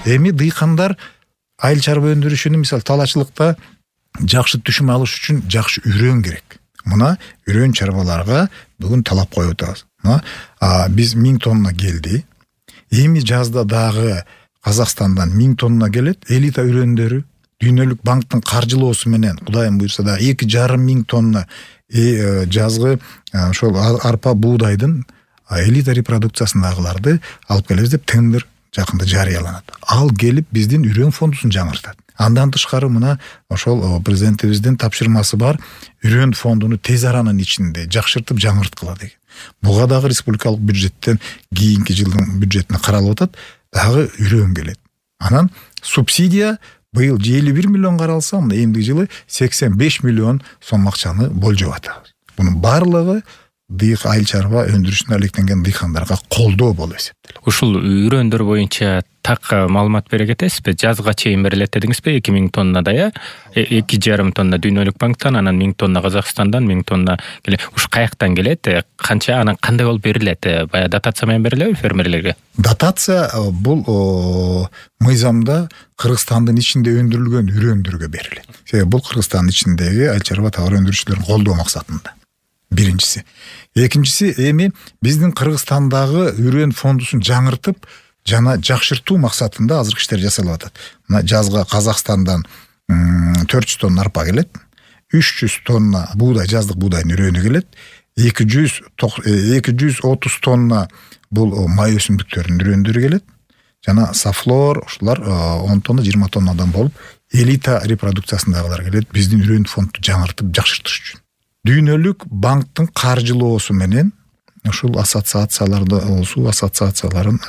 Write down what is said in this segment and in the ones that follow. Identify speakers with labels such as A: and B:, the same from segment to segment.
A: Эми дыйкандар айыл чарба өндүрүшүнүн мисалы талаачылыкта жакшы түшүм алыш үчүн жакшы үрөөн керек. Мына үрөөн чарбаларга бүгүн талап коюп атабыз. Биз 1000 тонна келди. Эми жазда дагы Казакстандан 1000 тонна келет. Элита үрөөндөрү Дүйнөлүк банктын каржылоосу менен Кудайым буйрса да 2,5 тонна жазгы ошол арпа буудайдын элита репродукциясындагыларды алып келебиз деп тендер жакында жарыяланат. Ал келип биздин үрөөн фондусун жаңыртат. Андан тышкары мына ошол президентибиздин тапшырмасы бар, үрөөн фондуну тез аранын ичинде жакшыртып жаңырткыла деген. Буга дагы республикалык бюджеттен кийинки жылдын бюджетине каралып атат, дагы үрөөн келет. Анан субсидия быйыл 51 миллион каралса, мына эмдиги жылы 85 миллион сом акчаны болжоп атабыз. Бунун баардыгы айыл чарба өндүрүшүнө алектенген дыйкандарга колдоо болуп эсептелет.
B: Ушул үрөөөндөр боюнча так маалымат бере кетесизби? Жазга чейин берилет дедиңизби? 2000 тоннада 2,5 тонна Дүйнөлүк банктан, анан 1000 тонна Казакстандан, 1000 тонна келет. Уш каяктан келет? Канча, анан кандай болуп берилет? Бая датация менен берилеби фермерлерге?
A: Датация бул мыйзамда Кыргызстандын ичинде өндүрүлгөн үрөөндөргө берилет. Себеби бул Кыргызстандын ичиндеги айыл чарба товар өндүрүүчүлөрүн колдоо максатында. Биринчиси. Экинчиси, эми биздин Кыргызстандагы үрөөн фондусун жаңыртып жана жакшыртуу максатында азыркы иштер жасалып атат. Мына жазга Казакстандан 400 тонна арпа келет, 300 тонна буудай, жаздык буудайдын үрөөнү келет, 230 тонна бул май өсүмдүктөрүнүн үрөөндөрү келет, жана сафлор ушулар 10 тонна, 20 тоннадан болуп, элита репродукциясындагылар келет биздин үрөөн фондду жаңыртып жакшыртыш үчүн. Дүйнөлүк банктын каржылоосу менен ушул ассоциацияларды, суу ассоциацияларын,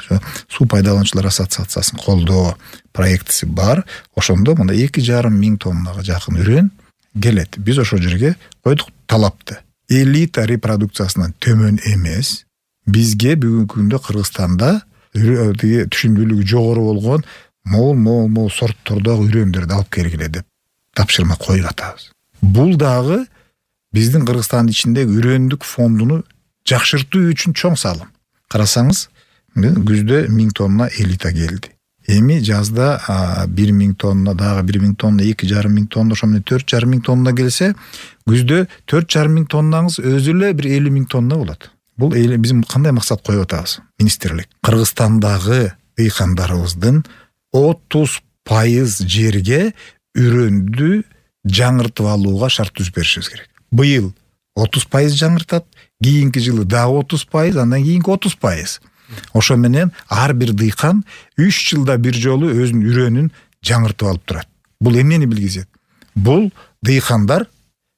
A: суу пайдалануучулар ассоциациясын колдоо проектиси бар. Ошондо мына 2,5 тоннага жакын үрөөн келет. Биз ошол жерге койдук талапты. Элита репродукциясынан төмөн эмес, бизге бүгүнкү күндө Кыргызстанда түшүмдүүлүгү жогору болгон мол сорттордогу үрөөндөрдү алып келгиле деп тапшырма коюп атабыз. Бул дагы биздин Кыргызстандын ичиндеги үрөөндүк фондуну жакшыртуу үчүн чоң салым. Карасаңыз, күздө 1000 тонна элита келди. Эми жазда 1000 тонна, дагы 1000 тонна, 2,5 тонна, ошо менен 4,5 тонна келсе, күздө 4,5 тоннаңыз өзү эле 50 000 тонна болот. Бул биз кандай максат коюп атабыз? Министрлик Кыргызстандагы дыйкандарыбыздын 30% жерге үрөөндү жаңыртып алууга шарт түзүп беришибиз керек. Быйыл 30% жаңыртат, кийинки жылы дагы 30%, андан кийинки 30%. Ошо менен ар бир дыйкан 3 жылда бир жолу өзүнүн үрөөнүн жаңыртып алып турат. Бул эмнени билгизет? Бул дыйкандар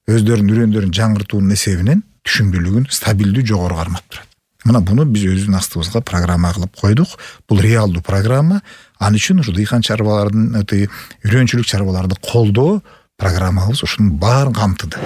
A: өздөрүнүн үрөөндөрүн жаңыртуунун эсебинен түшүмдүүлүгүн стабилдүү жогору кармап турат. Мына буну биз өзүбүздүн астыбызга программа кылып койдук. Бул реалдуу программа. Ал үчүн ушу дыйкан чарбалардын, үрөөнчүлүк чарбаларды колдоо программабыз ушунун баарын камтыды.